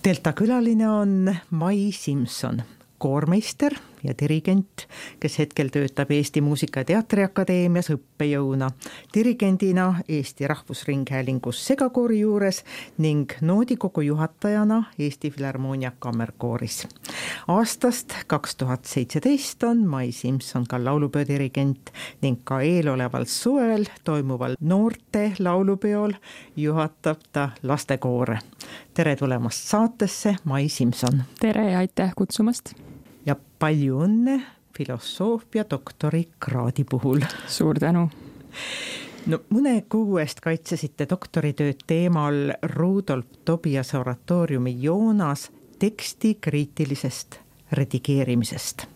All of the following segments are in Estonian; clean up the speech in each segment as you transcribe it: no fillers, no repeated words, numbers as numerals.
Delta külaline on Mai Simson, koormeister ja dirigent, kes hetkel töötab Eesti Muusika- ja Teatriakadeemias õppejõuna, dirigendina Eesti Rahvusringhäälingus segakoori juures ning noodikogu juhatajana Eesti Filharmoonia kammerkooris. Aastast 2017 on Mai Simson ka laulupeo dirigent ning ka eeloleval suvel toimuval noorte laulupeol juhatab ta lastekoore. Tere tulemast saatesse, Mai Simson! Tere ja aitäh kutsumast! Ja palju õnne filosoofia doktori kraadi puhul. Suur tänu. No, mõne kuu eest kaitsesite doktoritööd teemal Rudolf Tobiase oratooriumi Joonas teksti kriitilisest redigeerimisest.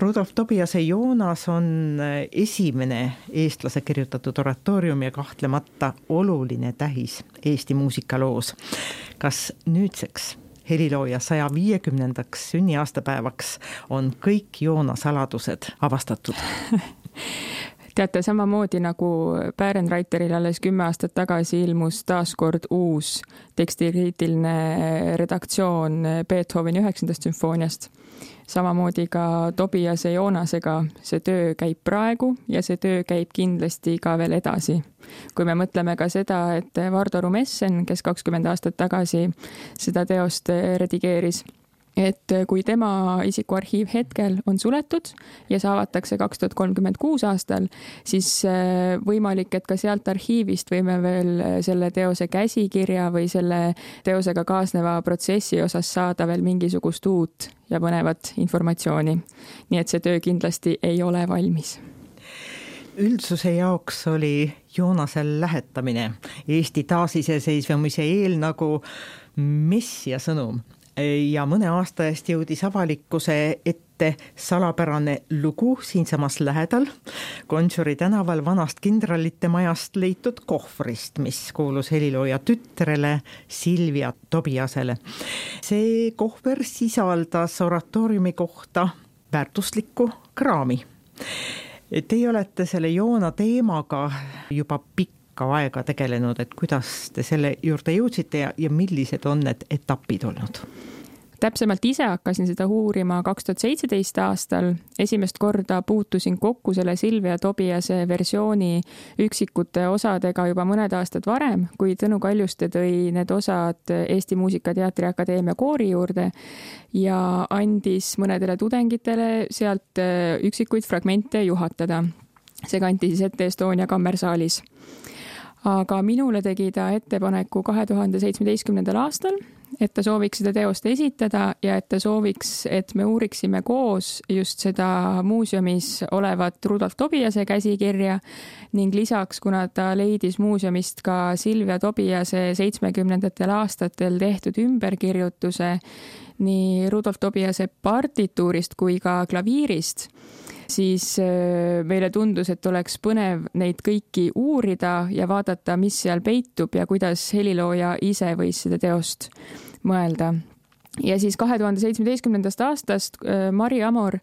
Rudolf Tobiase Joonas on esimene eestlase kirjutatud oratoorium ja kahtlemata oluline tähis Eesti muusikaloos. Kas nüüdseks helilooja 150. sünniaastapäevaks on kõik Joona saladused avastatud? Teate, samamoodi nagu Bärenreiteril alles 10 aastat tagasi ilmus taaskord uus tekstikriitiline redaktsioon Beethoveni 9. sümfooniast. Samamoodi ka Tobiase Joonasega see töö käib praegu ja see töö käib kindlasti ka veel edasi. Kui me mõtleme ka seda, et Vardo Rumessen, kes 20 aastat tagasi seda teost redigeeris, et kui tema isikuarhiiv hetkel on suletud ja see avatakse 2036 aastal, siis võimalik, et ka sealt arhiivist võime veel selle teose käsikirja või selle teosega kaasneva protsessi osas saada veel mingisugust uut ja põnevat informatsiooni. Nii et see töö kindlasti ei ole valmis. Üldsuse jaoks oli Joonasel lähetamine Eesti taasiseseisvumise eel nagu messia sõnum. Ja mõne aasta eest jõudis avalikkuse ette salapärane lugu siinsamas lähedal Gonsiori tänaval vanast kindralite majast leitud kohvrist, mis kuulus helilooja tütrele Silvia Tobiasele. See kohver sisaldas oratooriumi kohta väärtuslikku kraami. Teie olete selle Joona teemaga juba pikka aega tegelenud, et kuidas te selle juurde jõudsite ja millised on need etapid olnud? Täpsemalt ise hakkasin seda uurima 2017 aastal. Esimest korda puutusin kokku selle Silvia Tobiase versiooni üksikute osadega juba mõned aastad varem, kui Tõnu Kaljuste tõi need osad Eesti Muusika- ja Teatriakadeemia koori juurde ja andis mõnedele tudengitele sealt üksikuid fragmente juhatada. See kanti siis ette Estonia kammersaalis. Aga minule tegi ta ettepaneku 2017. aastal, et ta sooviks seda teost esitada ja et ta sooviks, et me uuriksime koos just seda muuseumis olevat Rudolf Tobiase käsikirja ning lisaks, kuna ta leidis muuseumist ka Silvia Tobiase 70. aastatel tehtud ümberkirjutuse nii Rudolf Tobiase partituurist kui ka klaviirist, siis meile tundus, et oleks põnev neid kõiki uurida ja vaadata, mis seal peitub ja kuidas helilooja ise võis seda teost mõelda. Ja siis 2017. aastast Mari Amor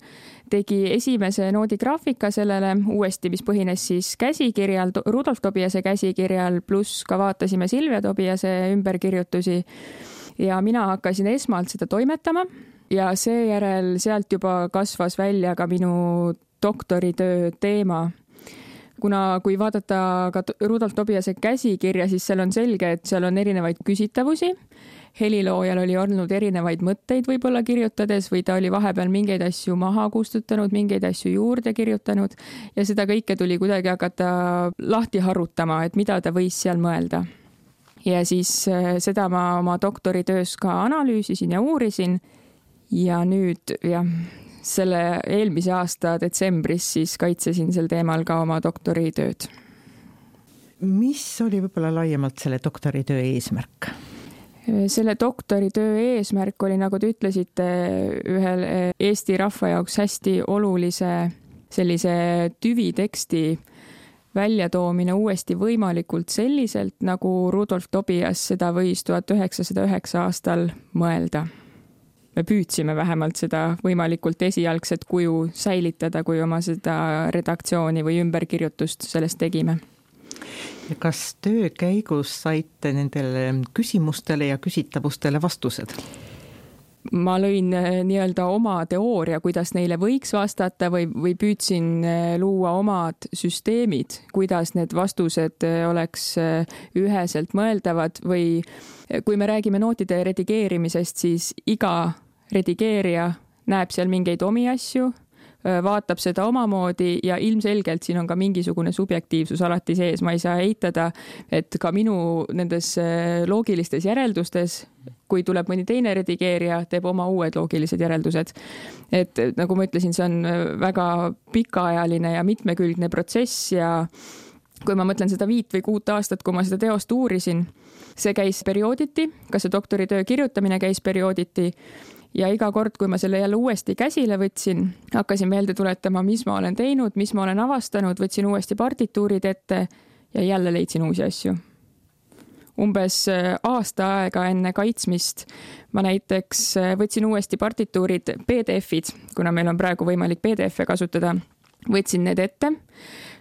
tegi esimese noodigraafika sellele uuesti, mis põhines siis käsikirjal, Rudolf Tobiase käsikirjal, pluss ka vaatasime Silvia Tobiase ümberkirjutusi ja mina hakkasin esmalt seda toimetama. Ja seejärel sealt juba kasvas välja ka minu doktoritöö teema. Kui vaadata ka Rudolf Tobiase käsikirja, siis seal on selge, et seal on erinevaid küsitavusi. Heliloojal oli olnud erinevaid mõtteid võib-olla kirjutades või ta oli vahepeal mingeid asju maha kustutanud, mingeid asju juurde kirjutanud ja seda kõike tuli kuidagi hakata lahti harutama, et mida ta võis seal mõelda. Ja siis seda ma oma doktoritöös ka analüüsisin ja uurisin. Ja nüüd selle eelmise aasta detsembris siis kaitsesin sel teemal ka oma doktoritööd. Mis oli võib-olla laiemalt selle doktoritöö eesmärk? Selle doktoritöö eesmärk oli, nagu te ütlesite, ühel Eesti rahva jaoks hästi olulise sellise tüviteksti väljatoomine uuesti võimalikult selliselt, nagu Rudolf Tobias seda võis 1909 aastal mõelda. Me püüdsime vähemalt seda võimalikult esialgset kuju säilitada, kui oma seda redaktsiooni või ümberkirjutust sellest tegime. Kas töö käigus saite nendele küsimustele ja küsitavustele vastused? Ma lõin nii-öelda oma teooria, kuidas neile võiks vastata või püüdsin luua omad süsteemid, kuidas need vastused oleks üheselt mõeldavad või kui me räägime nootide redigeerimisest, siis iga redigeerija näeb seal mingeid omi asju, vaatab seda omamoodi ja ilmselgelt siin on ka mingisugune subjektiivsus alati sees. Ma ei saa eitada, et ka minu nendes loogilistes järeldustes, kui tuleb mõni teine redigeerija, teeb oma uued loogilised järeldused. Et nagu ma ütlesin, see on väga pikaajaline ja mitmekülgne protsess ja kui ma mõtlen seda 5 või 6 aastat, kui ma seda teost uurisin, see käis periooditi, ka see doktoritöö kirjutamine käis periooditi ja iga kord, kui ma selle jälle uuesti käsile võtsin, hakkasin meelde tuletama, mis ma olen teinud, mis ma olen avastanud, võtsin uuesti partituurid ette ja jälle leidsin uusi asju. Umbes aasta aega enne kaitsmist ma näiteks võtsin uuesti partituurid PDF-id, kuna meil on praegu võimalik PDF-e kasutada, võtsin need ette,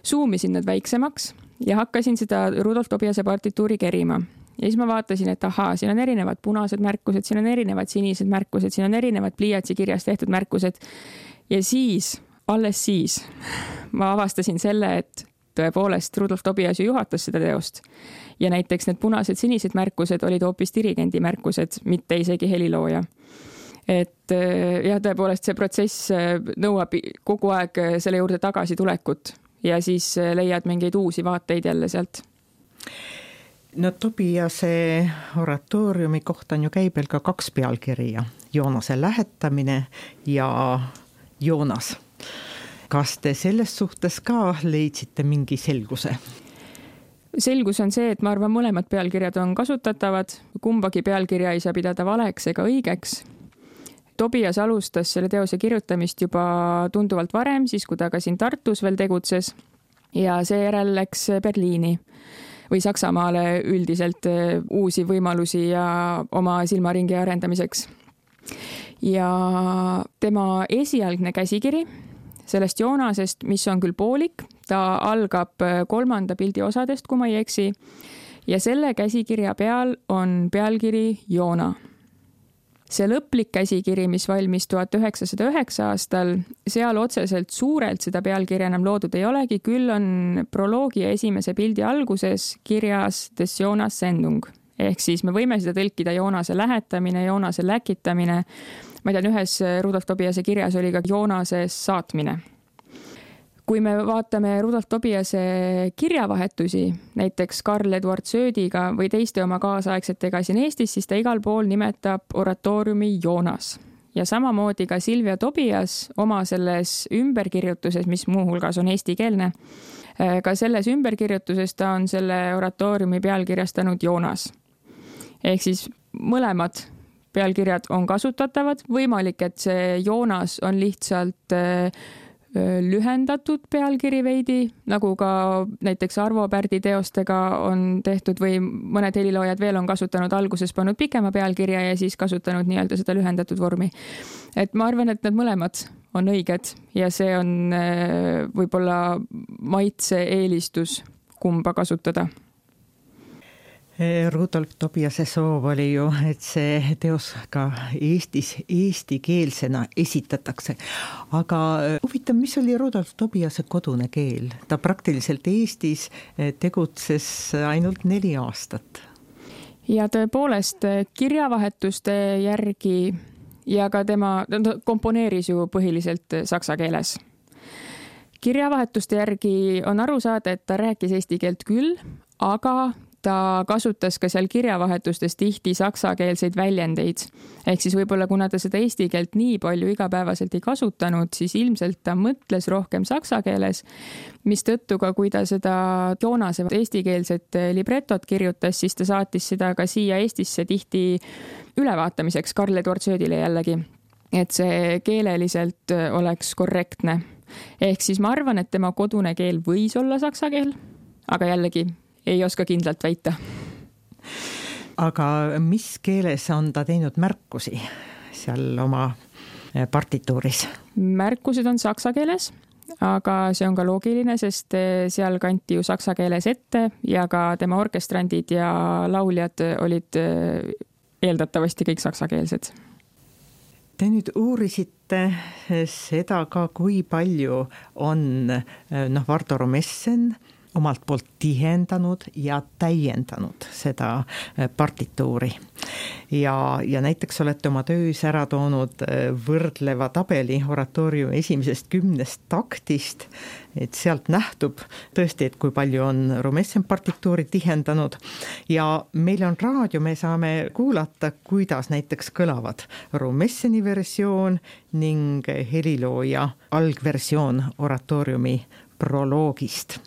zoomisin need väiksemaks ja hakkasin seda Rudolf Tobiase partituuri kerima. Ja siis ma vaatasin, et ahaa, siin on erinevad punased märkused, siin on erinevad sinised märkused, siin on erinevad pliiatsi kirjas tehtud märkused. Ja siis, alles siis, ma avastasin selle, et tõepoolest Rudolf Tobias ju juhatas seda teost. Ja näiteks need punased sinised märkused olid hoopis dirigendi märkused, mitte isegi helilooja. Et jah, tõepoolest see protsess nõuab kogu aeg selle juurde tagasi tulekut ja siis leiad mingeid uusi vaateid jälle sealt. No Tobiase oratooriumi kohta on ju käibel ka 2 pealkirja, Joonase lähetamine ja Joonas. Kas te selles suhtes ka leidsite mingi selguse? Selgus on see, et ma arvan, mõlemad pealkirjad on kasutatavad, kumbagi pealkirja ei saa pidada valeks ega õigeks. Tobias alustas selle teose kirjutamist juba tunduvalt varem, siis kui ta ka siin Tartus veel tegutses ja seejärel läks Berliini või Saksamaale üldiselt uusi võimalusi ja oma silmaringi arendamiseks. Ja tema esialgne käsikiri sellest Joonasest, mis on küll poolik, ta algab 3. pildi osadest, kui ma ei eksi, ja selle käsikirja peal on pealkiri Joona. See lõplik käsikiri, mis valmis 1909 aastal, seal otseselt suurelt seda pealkirja enam loodud ei olegi, küll on proloogi ja esimese pildi alguses kirjas des Jonas Sendung. Ehk siis me võime seda tõlkida Joonase lähetamine, Joonase läkitamine. Ma tean, ühes Rudolf Tobiase kirjas oli ka Joonase saatmine. Kui me vaatame Rudolf Tobiase kirjavahetusi, näiteks Karl Eduard Söödiga või teiste oma kaasaegsetega siin Eestis, siis ta igal pool nimetab oratooriumi Joonas. Ja samamoodi ka Silvia Tobias oma selles ümberkirjutuses, mis muuhulgas on eestikeelne, ka selles ümberkirjutuses ta on selle oratooriumi pealkirjastanud Joonas. Ehk siis mõlemad pealkirjad on kasutatavad. Võimalik, et see Joonas on lihtsalt lühendatud pealkiri veidi, nagu ka näiteks Arvo Pärdi teostega on tehtud või mõned heliloojad veel on kasutanud alguses pannud pikema pealkirja ja siis kasutanud nii-öelda seda lühendatud vormi. Et ma arvan, et need mõlemad on õiged ja see on võib-olla maitse eelistus kumba kasutada. Rudolf Tobiase soov oli ju, et see teos ka Eestis eestikeelsena esitatakse. Aga huvitav, mis oli Rudolf Tobiase kodune keel? Ta praktiliselt Eestis tegutses ainult 4 aastat. Ja tõepoolest kirjavahetuste järgi ja ka tema komponeeris ju põhiliselt saksa keeles. Kirjavahetuste järgi on aru saada, et ta rääkis eesti keelt küll, aga ta kasutas ka seal kirjavahetustes tihti saksakeelseid väljendeid. Ehk siis võib-olla kuna ta seda eesti keelt nii palju igapäevaselt ei kasutanud, siis ilmselt ta mõtles rohkem saksa keeles, mis tõttu ka kui ta seda Joonase eestikeelset libretot kirjutas, siis ta saatis seda ka siia Eestisse tihti ülevaatamiseks Karl Eduard Söödile jällegi, et see keeleliselt oleks korrektne. Ehk siis ma arvan, et tema kodune keel võis olla saksa keel, aga jällegi ei oska kindlalt väita. Aga mis keeles on ta teinud märkusi seal oma partituuris? Märkused on saksa keeles aga see on ka loogiline, sest seal kanti ju saksa keeles ette ja ka tema orkestrandid ja lauljad olid eeldatavasti kõik saksakeelsed. Te nüüd uurisite seda ka, kui palju on Vardo Romessen omalt poolt tihendanud ja täiendanud seda partituuri. Ja näiteks olete oma töös ära toonud võrdleva tabeli oratooriumi esimesest 10 taktist, et sealt nähtub tõesti, et kui palju on Romessen partituuri tihendanud ja meil on raadio, me saame kuulata, kuidas näiteks kõlavad Romesseni versioon ning helilooja algversioon oratooriumi proloogist.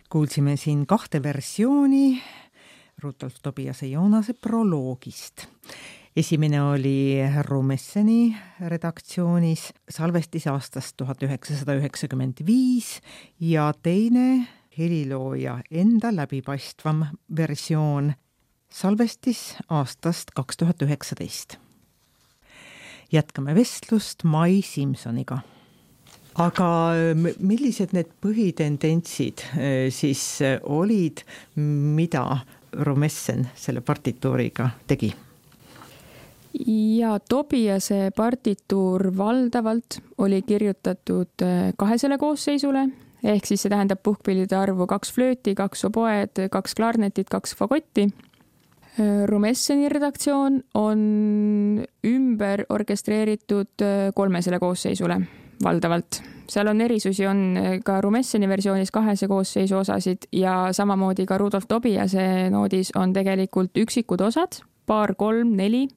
kuulsime siin 2 versiooni Rudolf Tobiase Joonase proloogist. Esimene oli Rumesseni redaktsioonis salvestis aastast 1995 ja teine helilooja enda läbipaistvam versioon salvestis aastast 2019. Jätkame vestlust Mai Simsoniga. Aga millised need põhitendentsid siis olid, mida Rumessen selle partituuriga tegi? Ja Tobiase partituur valdavalt oli kirjutatud 2 koosseisule, ehk siis see tähendab puhkpillide arvu 2 flööti, 2 oboed, 2 klarnetit, 2 fagotti. Rumesseni redaktsioon on ümber orkestreeritud 3 koosseisule valdavalt. Seal on erisusi, on ka Rumesseni versioonis 2 koosseisu osasid ja samamoodi ka Rudolf Tobiase noodis on tegelikult üksikud osad, 2, 3, 4.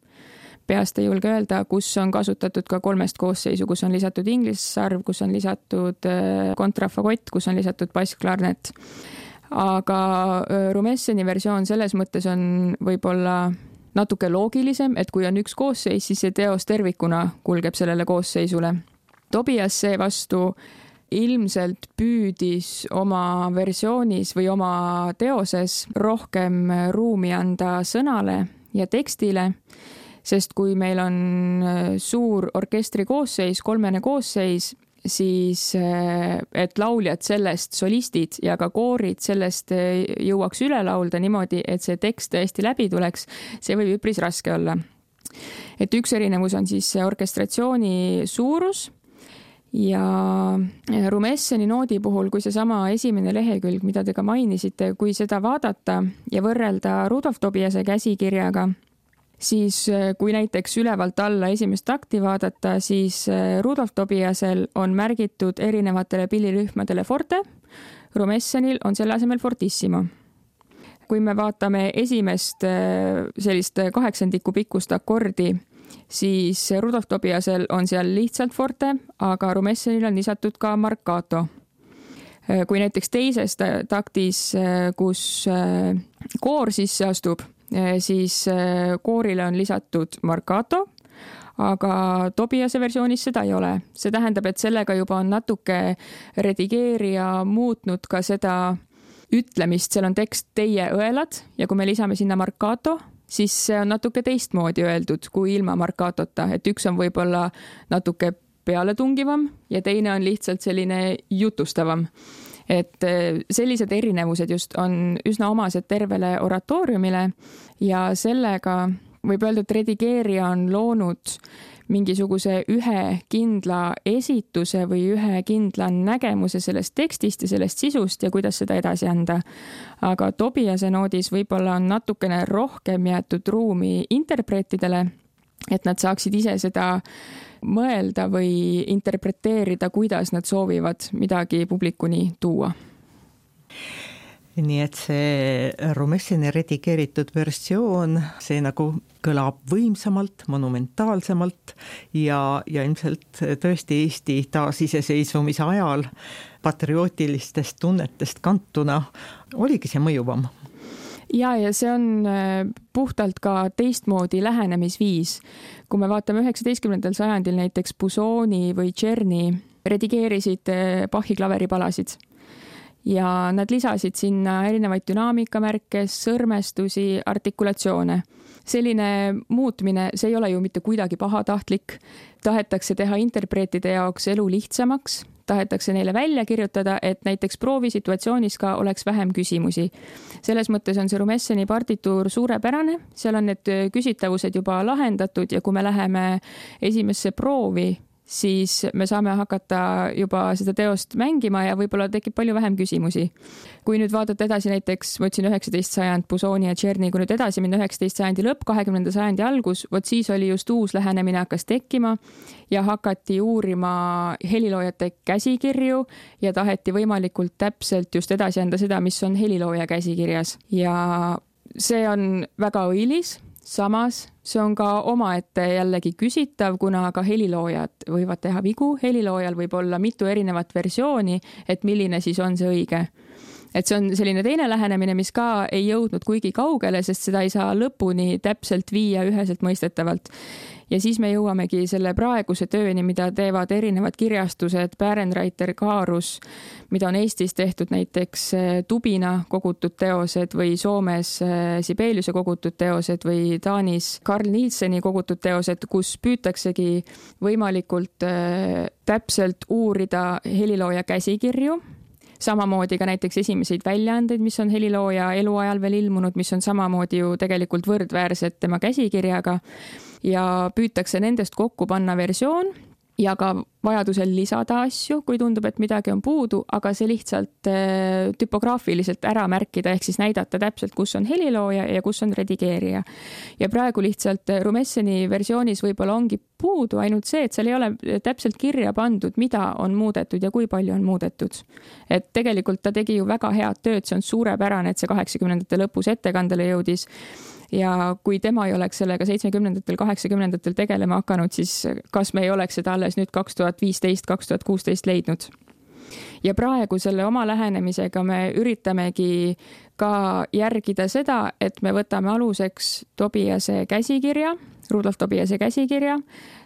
Peast ei julge öelda, kus on kasutatud ka 3 koosseisu, kus on lisatud inglissarv, kus on lisatud kontrafagott, kus on lisatud bassklarnet. Aga Rumesseni versioon selles mõttes on võib-olla natuke loogilisem, et kui on 1 koosseis, siis see teos tervikuna kulgeb sellele koosseisule. Tobias seevastu ilmselt püüdis oma versioonis või oma teoses rohkem ruumi anda sõnale ja tekstile, sest kui meil on suur orkestri koosseis, 3 koosseis, siis et lauljad sellest, solistid ja ka koorid sellest jõuaks üle laulda niimoodi, et see tekst tõesti läbi tuleks, see võib üpris raske olla. Et üks erinevus on siis orkestratsiooni suurus ja Rumesseni noodi puhul, kui see sama esimene lehekülg, mida te ka mainisite, kui seda vaadata ja võrrelda Rudolf Tobiase käsikirjaga, siis kui näiteks ülevalt alla esimest takti vaadata, siis Rudolf Tobiasel on märgitud erinevatele pillirühmadele forte, Rumessenil on selle asemel fortissimo. Kui me vaatame esimest sellist 8 pikkust akordi, siis Rudolf Tobiasel on seal lihtsalt forte, aga Rumessenil on lisatud ka marcato. Kui näiteks teises taktis, kus koor sisse astub, siis koorile on lisatud marcato, aga Tobiase versioonis seda ei ole. See tähendab, et sellega juba on natuke redigeerija muutnud ka seda ütlemist, seal on tekst teie õelad ja kui me lisame sinna marcato, siis see on natuke teistmoodi öeldud kui ilma marcatota, et üks on võib-olla natuke pealetungivam ja teine on lihtsalt selline jutustavam. Et sellised erinevused just on üsna omased tervele oratooriumile ja sellega võib öelda, et redigeerija on loonud mingisuguse ühe kindla esituse või ühe kindla nägemuse sellest tekstist ja sellest sisust ja kuidas seda edasi anda. Aga Tobiase noodis võib-olla on natukene rohkem jäetud ruumi interpreetidele, et nad saaksid ise seda mõelda või interpreteerida, kuidas nad soovivad midagi publikuni tuua. Nii et see Rumesseni redigeeritud versioon, see nagu kõlab võimsamalt, monumentaalsemalt ja ilmselt tõesti Eesti taasiseseisvumise ajal patriootilistest tunnetest kantuna oligi see mõjuvam. Ja see on puhtalt ka teistmoodi lähenemisviis. Kui me vaatame 19. sajandil näiteks Busoni või Czerny redigeerisid Bachi klaveripalasid ja nad lisasid sinna erinevaid dünaamikamärke, sõrmestusi, artikulatsioone. Selline muutmine, see ei ole ju mitte kuidagi pahatahtlik. Tahetakse teha interpreetide jaoks elu lihtsamaks, tahetakse neile välja kirjutada, et näiteks proovisituatsioonis ka oleks vähem küsimusi. Selles mõttes on see Rumesseni partituur suurepärane, seal on need küsitavused juba lahendatud ja kui me läheme esimesse proovi, siis me saame hakata juba seda teost mängima ja võib-olla tekib palju vähem küsimusi. Kui nüüd vaadata edasi näiteks, ma ütlesin 19. sajand, Busoni ja Czerny, kui nüüd edasi minna 19. sajandi lõpp, 20. sajandi algus, vot siis oli just uus lähenemine hakkas tekkima ja hakati uurima heliloojate käsikirju ja taheti võimalikult täpselt just edasi anda seda, mis on helilooja käsikirjas. Ja see on väga õilis. Samas, see on ka omaette jällegi küsitav, kuna ka heliloojad võivad teha vigu. Heliloojal võib olla mitu erinevat versiooni, et milline siis on see õige. et see on selline teine lähenemine, mis ka ei jõudnud kuigi kaugele, sest seda ei saa lõpuni täpselt viia üheselt mõistetavalt. Ja siis me jõuamegi selle praeguse tööni, mida teevad erinevad kirjastused, Bärenreiter, Kaarus, mida on Eestis tehtud näiteks Tubina kogutud teosed või Soomes Sibeliuse kogutud teosed või Taanis Carl Nielseni kogutud teosed, kus püütaksegi võimalikult täpselt uurida helilooja käsikirju, samamoodi ka näiteks esimeseid väljaandeid, mis on helilooja eluajal veel ilmunud, mis on samamoodi ju tegelikult võrdväärsed tema käsikirjaga ja püütakse nendest kokku panna versioon ja ka vajadusel lisada asju, kui tundub, et midagi on puudu, aga see lihtsalt tüpograafiliselt ära märkida, ehk siis näidata täpselt, kus on helilooja ja kus on redigeerija. Ja praegu lihtsalt Rumesseni versioonis võib-olla ongi puudu ainult see, et seal ei ole täpselt kirja pandud, mida on muudetud ja kui palju on muudetud. Et tegelikult ta tegi ju väga head tööd, see on suurepärane, et see 80ndate lõpus ettekandele jõudis. Ja kui tema ei oleks sellega 70-ndatel, 80-ndatel tegelema hakanud, siis kas me ei oleks seda alles nüüd 2015-2016 leidnud. Ja praegu selle oma lähenemisega me üritamegi ka järgida seda, et me võtame aluseks Tobiase käsikirja, Rudolf Tobiase käsikirja,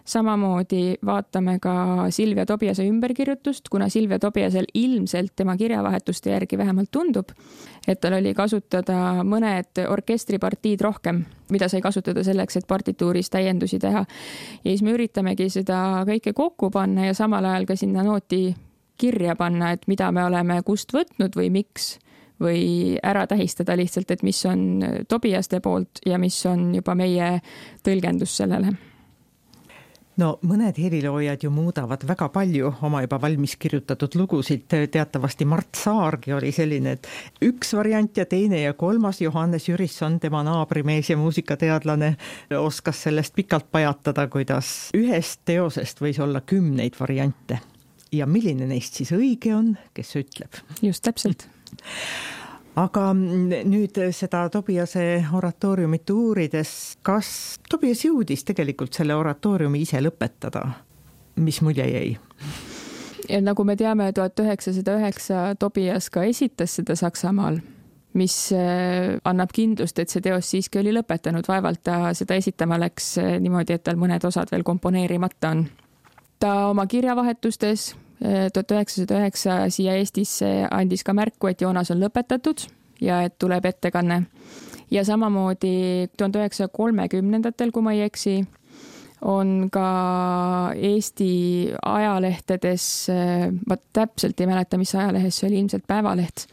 samamoodi vaatame ka Silvia Tobiase ümberkirjutust, kuna Silvia Tobiasel ilmselt tema kirjavahetuste järgi vähemalt tundub, et tal oli kasutada mõned orkestripartiid rohkem, mida sai kasutada selleks, et partituuris täiendusi teha. Ja siis me üritamegi seda kõike kokku panna ja samal ajal ka sinna nooti kirja panna, et mida me oleme kust võtnud või miks või ära tähistada lihtsalt, et mis on Tobiaste poolt ja mis on juba meie tõlgendus sellele. No mõned heliloojad ju muudavad väga palju oma juba valmis kirjutatud lugusid. Teatavasti Mart Saargi oli selline, et üks variant ja teine ja kolmas. Johannes Jürisson, tema naabrimees ja muusikateadlane, oskas sellest pikalt pajatada, kuidas ühest teosest võis olla 10 variante. Ja milline neist siis õige on, kes ütleb? Just täpselt. Aga nüüd seda Tobiase oratooriumit uurides, kas Tobias jõudis tegelikult selle oratooriumi ise lõpetada? Mis mulje jäi? Ja nagu me teame, 1909 Tobias ka esitas seda Saksamaal, mis annab kindlust, et see teos siiski oli lõpetanud. Vaevalt ta seda esitama läks niimoodi, et tal mõned osad veel komponeerimata on. Ta oma kirjavahetustes 1909 siia Eestisse andis ka märku, et Joonas on lõpetatud ja et tuleb ettekanne. Ja samamoodi 1930-ndatel, kui ma ei eksi, on ka Eesti ajalehtedes, ma täpselt ei mäleta, mis ajalehes see oli, ilmselt Päevaleht,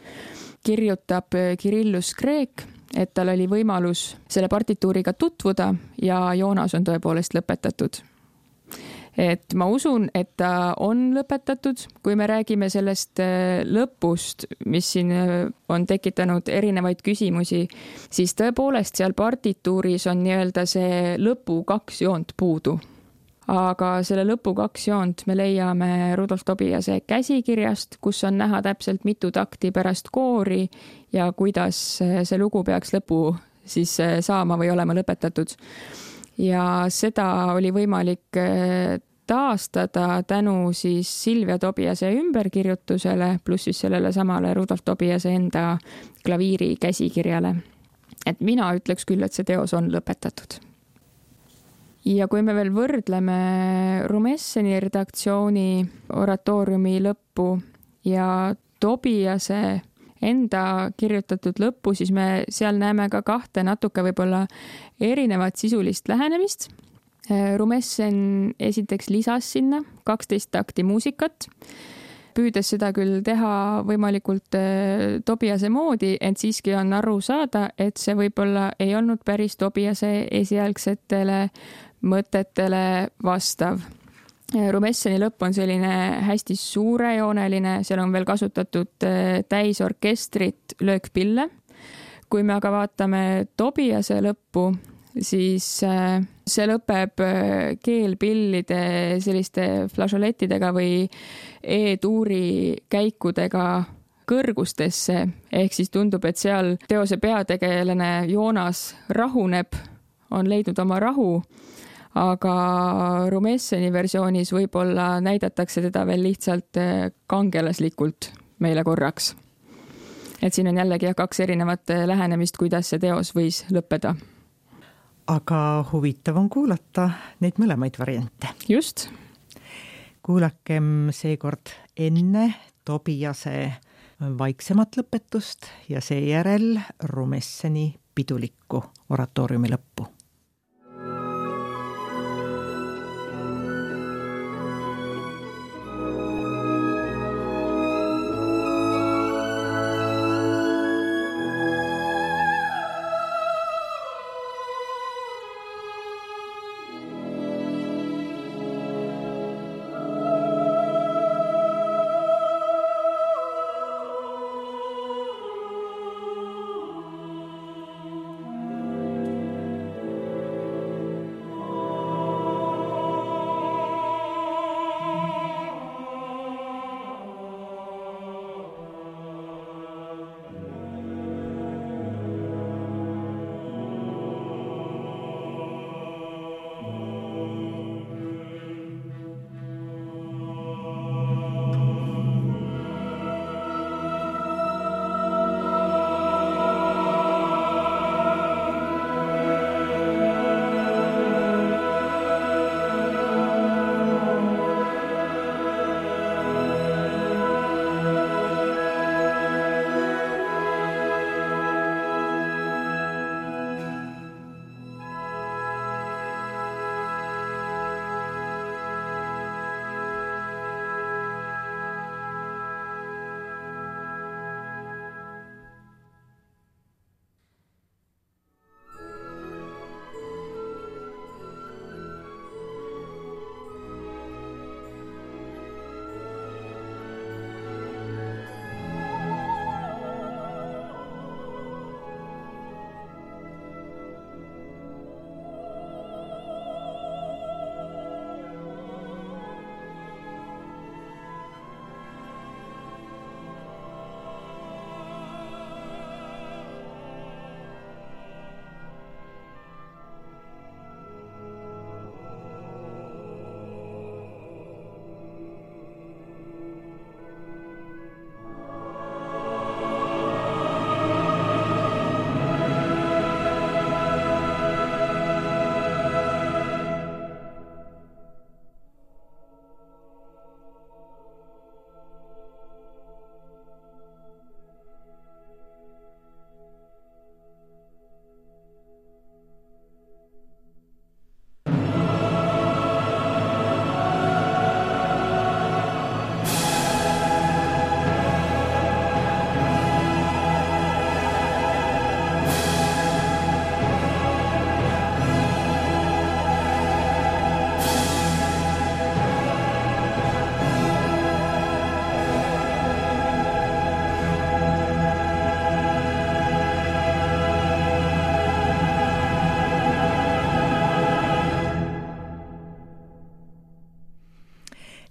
kirjutab Kirillus Kreek, et tal oli võimalus selle partituuriga tutvuda ja Joonas on tõepoolest lõpetatud. Et ma usun, et ta on lõpetatud, kui me räägime sellest lõpust, mis siin on tekitanud erinevaid küsimusi, siis tõepoolest seal partituuris on nii-öelda see lõpu 2 joont puudu. Aga selle lõpu 2 joont me leiame Rudolf Tobiase käsikirjast, kus on näha täpselt mitu takti pärast koori ja kuidas see lugu peaks lõpu siis saama või olema lõpetatud. Ja seda oli võimalik taastada tänu siis Silvia Tobiase ümberkirjutusele pluss siis sellele samale Rudolf Tobiase enda klaviiri käsikirjale. Et mina ütleks küll, et see teos on lõpetatud. Ja kui me veel võrdleme Rumesseni redaktsiooni oratooriumi lõppu ja Tobiase enda kirjutatud lõppu, siis me seal näeme ka 2 natuke võib-olla erinevat sisulist lähenemist. Rumessen esiteks lisas sinna 12 takti muusikat, püüdes seda küll teha võimalikult Tobiase moodi, ent siiski on aru saada, et see võib-olla ei olnud päris Tobiase esialgsetele mõtetele vastav. Rumesseni lõpp on selline hästi suurejooneline, seal on veel kasutatud täisorkestrit, löökpille. Kui me aga vaatame Tobiase lõppu, siis see lõpeb keelpillide selliste flažolettidega või E-tuuri käikudega kõrgustesse, ehk siis tundub, et seal teose peategelane Joonas rahuneb, on leidnud oma rahu, aga Rumesseni versioonis võib-olla näidatakse teda veel lihtsalt kangelaslikult meile korraks. et siin on jällegi 2 erinevat lähenemist, kuidas see teos võis lõppeda. Aga huvitav on kuulata neid mõlemaid variante. Just. Kuulakem seekord enne Tobiase vaiksemat lõpetust ja seejärel Rumesseni pidulikku oratooriumi lõppu.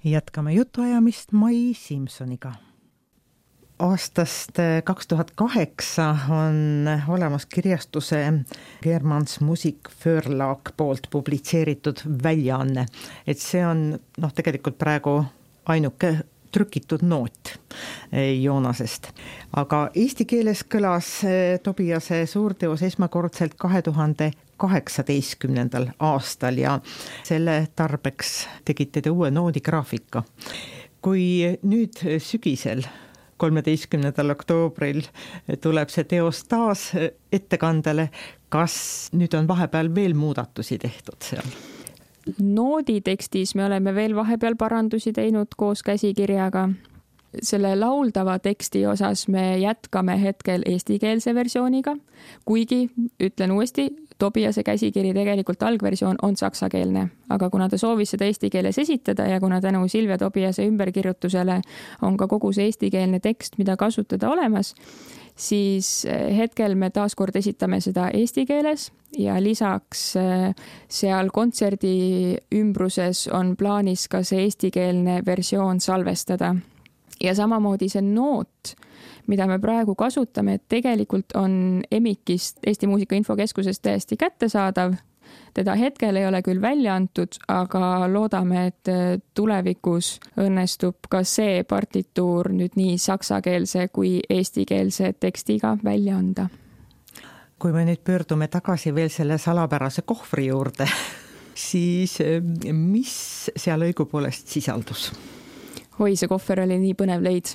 Jätkame jutuajamist Mai Simsoniga. Aastast 2008 on olemas kirjastuse Germans Musik Förlag poolt publitseeritud väljaanne, et see on tegelikult praegu ainuke trükitud noot Joonasest. Aga eesti keeles kõlas Tobiase suurteos esmakordselt 2018. aastal ja selle tarbeks tegite te uue noodigraafika. Kui nüüd sügisel 13. oktoobril tuleb see teos taas ettekandele, kas nüüd on vahepeal veel muudatusi tehtud seal? Noodi tekstis me oleme veel vahepeal parandusi teinud koos käsikirjaga. Selle lauldava teksti osas me jätkame hetkel eestikeelse versiooniga, kuigi, ütlen uuesti, Tobiase käsikiri tegelikult algversioon on saksakeelne, aga kuna ta soovis seda eesti keeles esitada ja kuna tänu Silvia Tobiase ümberkirjutusele on ka kogu see eestikeelne tekst, mida kasutada olemas, siis hetkel me taaskord esitame seda eesti keeles ja lisaks seal kontserdi ümbruses on plaanis ka see eestikeelne versioon salvestada. Ja samamoodi see noot, mida me praegu kasutame, tegelikult on EMIK-ist Eesti Muusika Infokeskusest täiesti kättesaadav. teda hetkel ei ole küll välja antud, aga loodame, et tulevikus õnnestub ka see partituur nüüd nii saksakeelse kui eestikeelse tekstiga välja anda. Kui me nüüd pöördume tagasi veel selle salapärase kohvri juurde, siis mis seal õigupoolest sisaldus? Oi, see kohver oli nii põnev leid.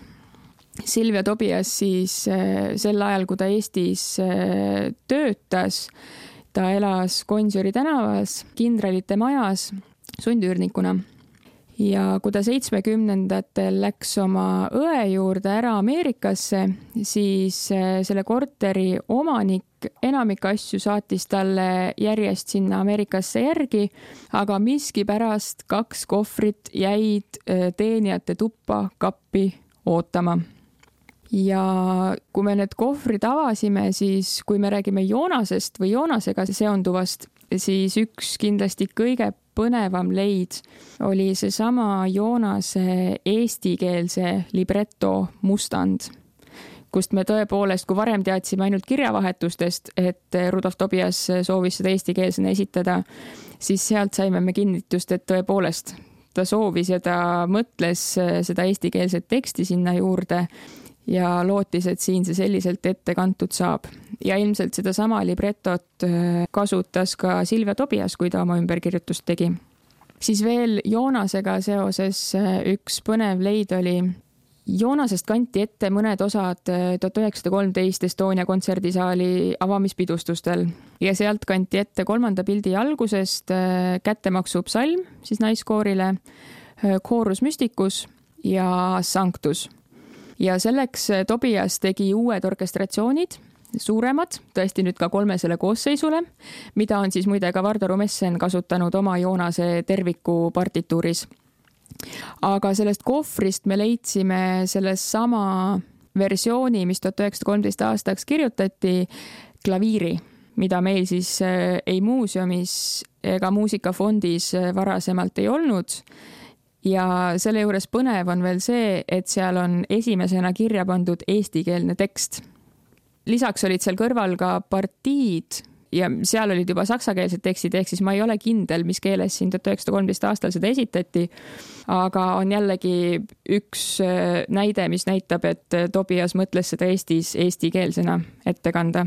Silvia Tobias siis sel ajal, kui ta Eestis töötas, ta elas Gonsiori tänavas, Kindralite majas sundüürnikuna. Ja kui ta 70-ndatel läks oma õe juurde ära Ameerikasse, siis selle korteri omanik enamik asju saatis talle järjest sinna Ameerikasse järgi, aga miskipärast 2 kohvrit jäid teenijate tuppa kappi ootama. Ja kui me need kohvrid avasime, siis kui me räägime Joonasest või Joonasega seonduvast, siis üks kindlasti kõige põnevam leid oli seesama Joonase eestikeelse libretto Mustand, kust me tõepoolest, kui varem teadsime ainult kirjavahetustest, et Rudolf Tobias soovis seda eestikeelsena esitada, siis sealt saime me kinnitust, et tõepoolest ta soovis ja ta mõtles seda eestikeelset teksti sinna juurde ja lootis, et siin see selliselt ette kantud saab. Ja ilmselt seda sama librettot kasutas ka Silvia Tobias, kui ta oma ümberkirjutust tegi. Siis veel Joonasega seoses üks põnev leid oli. Joonasest kanti ette mõned osad 1913 Estonia kontserdisaali avamispidustustel ja sealt kanti ette 3. pildi algusest Kättemaksu psalm siis naiskoorile, Chorus Mysticus ja Sanctus. Ja selleks Tobias tegi uued orkestratsioonid, suuremad, tõesti nüüd ka 3 koosseisule, mida on siis muide ka Vardo Rumessen kasutanud oma Joonase terviku partituuris. Aga sellest kohvrist me leidsime selles sama versiooni, mis 1913 aastaks kirjutati, klaviiri, mida meil siis ei muuseumis ega muusikafondis varasemalt ei olnud. Ja selle juures põnev on veel see, et seal on esimesena kirja pandud eestikeelne tekst. Lisaks olid seal kõrval ka partiid ja seal olid juba saksakeelsed tekstid, ehk siis ma ei ole kindel, mis keeles siin 1913 aastal seda esitati, aga on jällegi üks näide, mis näitab, et Tobias mõtles seda Eestis eestikeelsena ette kanda.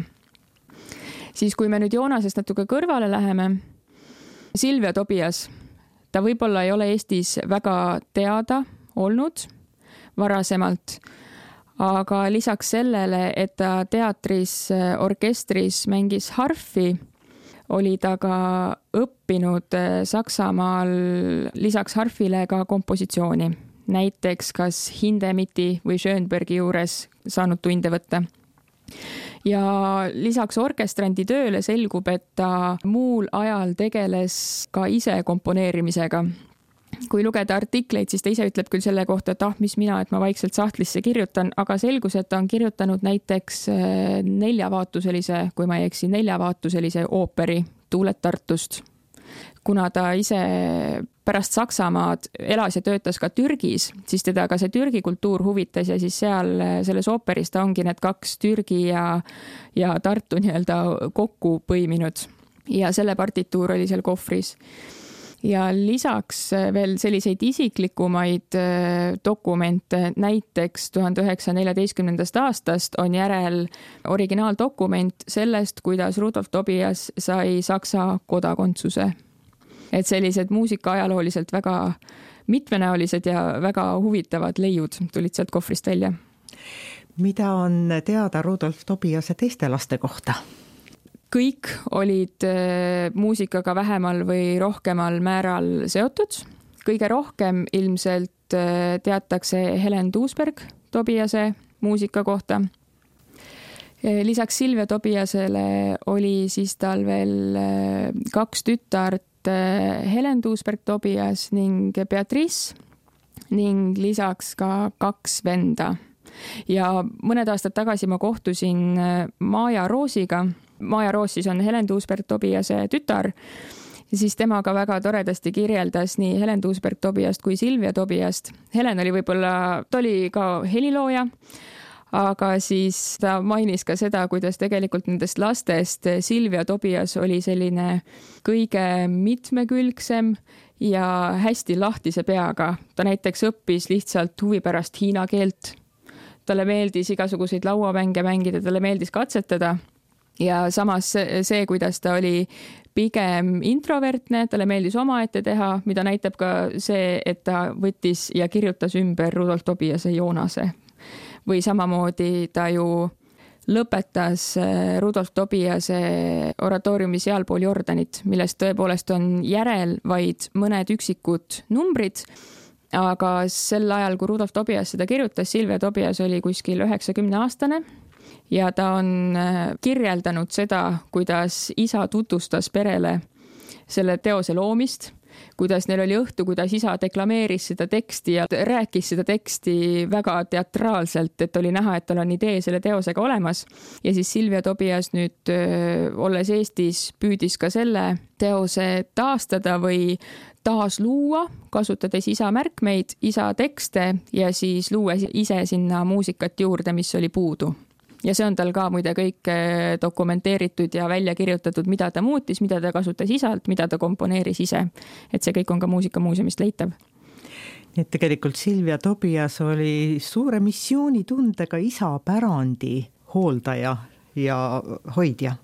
Siis kui me nüüd Joonasest natuke kõrvale läheme, Silvia Tobias, ta võib-olla ei ole Eestis väga teada olnud varasemalt, aga lisaks sellele, et ta teatris, orkestris mängis harfi, oli ta ka õppinud Saksamaal lisaks harfile ka kompositsiooni. Näiteks kas Hindemith'i või Schönbergi juures saanud tunde võtta. Ja lisaks orkestrandi tööle selgub, et ta muul ajal tegeles ka ise komponeerimisega. Kui lugeda artikleid, siis ta ise ütleb küll selle kohta, et mis mina, et ma vaikselt sahtlisse kirjutan, aga selgus, et ta on kirjutanud näiteks 4-vaatuselise, kui ma ei eksi, 4-vaatuselise ooperi Tuuled Tartust. Kuna ta ise pärast Saksamaad elas ja töötas ka Türgis, siis teda ka see Türgi kultuur huvitas ja siis seal selles ooperis ta ongi need 2 Türgi ja Tartu nii-öelda kokku põiminud ja selle partituur oli seal kohvris. Ja lisaks veel selliseid isiklikumaid dokumente, näiteks 1914. aastast on järel originaaldokument sellest, kuidas Rudolf Tobias sai Saksa kodakondsuse. Et sellised muusika-ajalooliselt väga mitmenäolised ja väga huvitavad leiud tulid sealt kohvrist välja. Mida on teada Rudolf Tobiase teiste laste kohta? Kõik olid muusikaga vähemal või rohkemal määral seotud. Kõige rohkem ilmselt teatakse Helen Duisberg Tobiase muusika kohta. Lisaks Silvia Tobiasele oli siis tal veel 2 tütart, Helen Duisberg Tobias ning Beatrice ning lisaks ka 2 venda. Ja mõned aastad tagasi ma kohtusin Maja Roosiga. Maja Roos siis on Helen Duisberg Tobiase tütar ja siis temaga väga toredasti kirjeldas nii Helen Duisberg Tobiast kui Silvia Tobiast. Helen oli võib-olla, ta oli ka helilooja, aga siis ta mainis ka seda, kuidas tegelikult nendest lastest Silvia Tobias oli selline kõige mitmekülgsem ja hästi lahtise peaga. Ta näiteks õppis lihtsalt huvi pärast hiina keelt. Talle meeldis igasuguseid lauamänge mängida, talle meeldis katsetada ja samas see, kuidas ta oli pigem introvertne, talle meeldis omaette teha, mida näitab ka see, et ta võttis ja kirjutas ümber Rudolf Tobiase Joonase. Või samamoodi ta ju lõpetas Rudolf Tobiase oratooriumi Sealpool Jordanit, millest tõepoolest on järel vaid mõned üksikud numbrid, aga sel ajal, kui Rudolf Tobias seda kirjutas, Silvia Tobias oli kuskil 90-aastane ja ta on kirjeldanud seda, kuidas isa tutvustas perele selle teose loomist, kuidas neil oli õhtu, kuidas isa deklameeris seda teksti ja rääkis seda teksti väga teatraalselt, et oli näha, et tal on idee selle teosega olemas. Ja siis Silvia Tobias nüüd, olles Eestis, püüdis ka selle teose taastada või taas luua, kasutades isa märkmeid, isa tekste ja siis luua ise sinna muusikat juurde, mis oli puudu. Ja see on tal ka muide kõik dokumenteeritud ja välja kirjutatud, mida ta muutis, mida ta kasutas isalt, mida ta komponeeris ise. Et see kõik on ka muusikamuuseumist leitav. Nii et tegelikult Silvia Tobias oli suure missioonitundega isa pärandi hooldaja ja hoidja.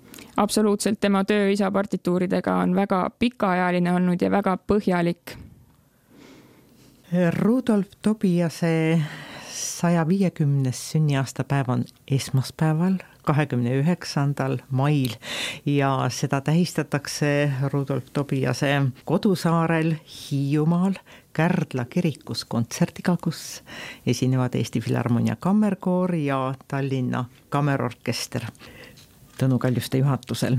Absoluutselt, tema töö isa partituuridega on väga pikaajaline olnud ja väga põhjalik. Rudolf Tobiase 150. sünniaastapäev on esmaspäeval, 29. mail ja seda tähistatakse Rudolf Tobiase kodusaarel Hiiumaal Kärdla kirikus kontserdiga, kus esinevad Eesti Filharmonia kammerkoor ja Tallinna kammerorkester Tõnu Kaljuste juhatusel.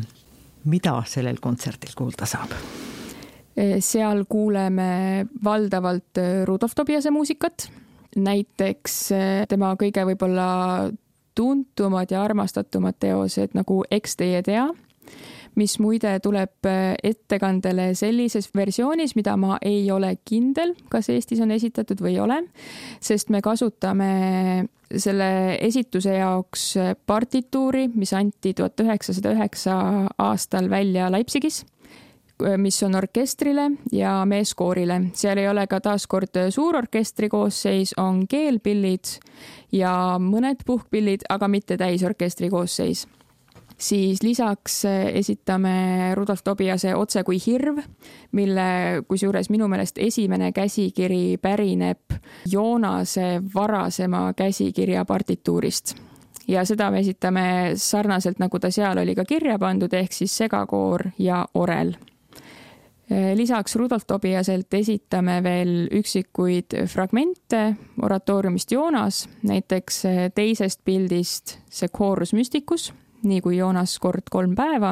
Mida sellel kontserdil kuulda saab? Seal kuuleme valdavalt Rudolf Tobiase muusikat. Näiteks tema kõige võib-olla tuntumad ja armastatumad teosed nagu Eks teie tea, mis muide tuleb ettekandele sellises versioonis, mida ma ei ole kindel, kas Eestis on esitatud või ei ole, sest me kasutame selle esituse jaoks partituuri, mis anti 1909 aastal välja Leipzigis, mis on orkestrile ja meeskoorile. Seal ei ole ka taaskord suurorkestri koosseis, on keelpillid ja mõned puhkpillid, aga mitte täisorkestri koosseis. Siis lisaks esitame Rudolf Tobiase Otse kui hirv, mille kusjuures minu meelest esimene käsikiri pärineb Joonase varasema käsikirja partituurist. Ja seda me esitame sarnaselt, nagu ta seal oli ka kirja pandud, ehk siis segakoor ja orel. Lisaks Rudolf Tobiaselt esitame veel üksikuid fragmente oratooriumist Joonas, näiteks teisest pildist see Chorus Mysticus, nii kui Joonas kord 3 päeva,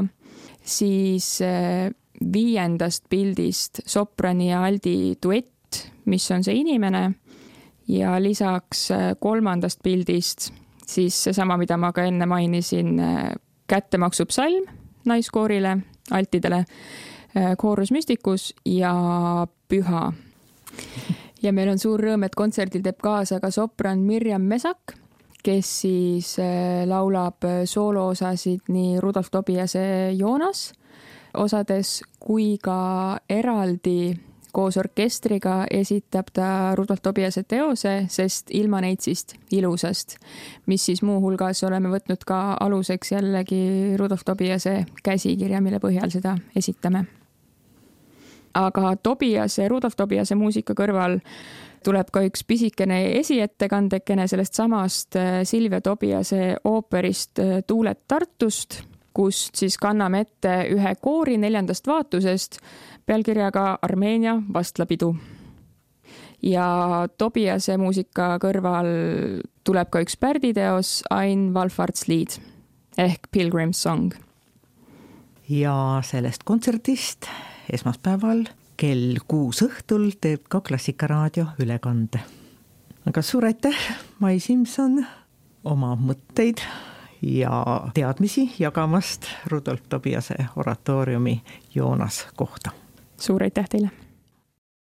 siis 5. pildist soprani ja aldi duett, mis on see inimene, ja lisaks 3. pildist siis seesama, mida ma ka enne mainisin, kättemaksupsalm naiskoorile, altidele, Chorus Mysticus ja Püha. Ja meil on suur rõõm, et kontserdil teeb kaasa ka sopran Mirjam Mesak, kes siis laulab sooloosasid nii Rudolf Tobiase Joonas osades kui ka eraldi koos orkestriga esitab ta Rudolf Tobiase teose, sest ilma neitsist ilusast, mis siis muuhulgas oleme võtnud ka aluseks jällegi Rudolf Tobiase käsikirja, mille põhjal seda esitame. Aga Rudolf Tobiase muusika kõrval tuleb ka üks pisikene esiettekandekene sellest samast Silvia Tobiase ooperist Tuuled Tartust, kust siis kanname ette ühe koori 4. vaatusest pealkirjaga Armeenia vastlapidu. Ja Tobiase muusika kõrval tuleb ka üks pärditeos Ein Wallfahrtslied ehk Pilgrim's Song. Ja sellest kontserdist esmaspäeval kell 6 õhtul teeb ka Klassikaraadio ülekande. Aga suur aitäh, Mai Simson, oma mõtteid ja teadmisi jagamast Rudolf Tobiase oratooriumi Joonas kohta. Suur aitäh teile!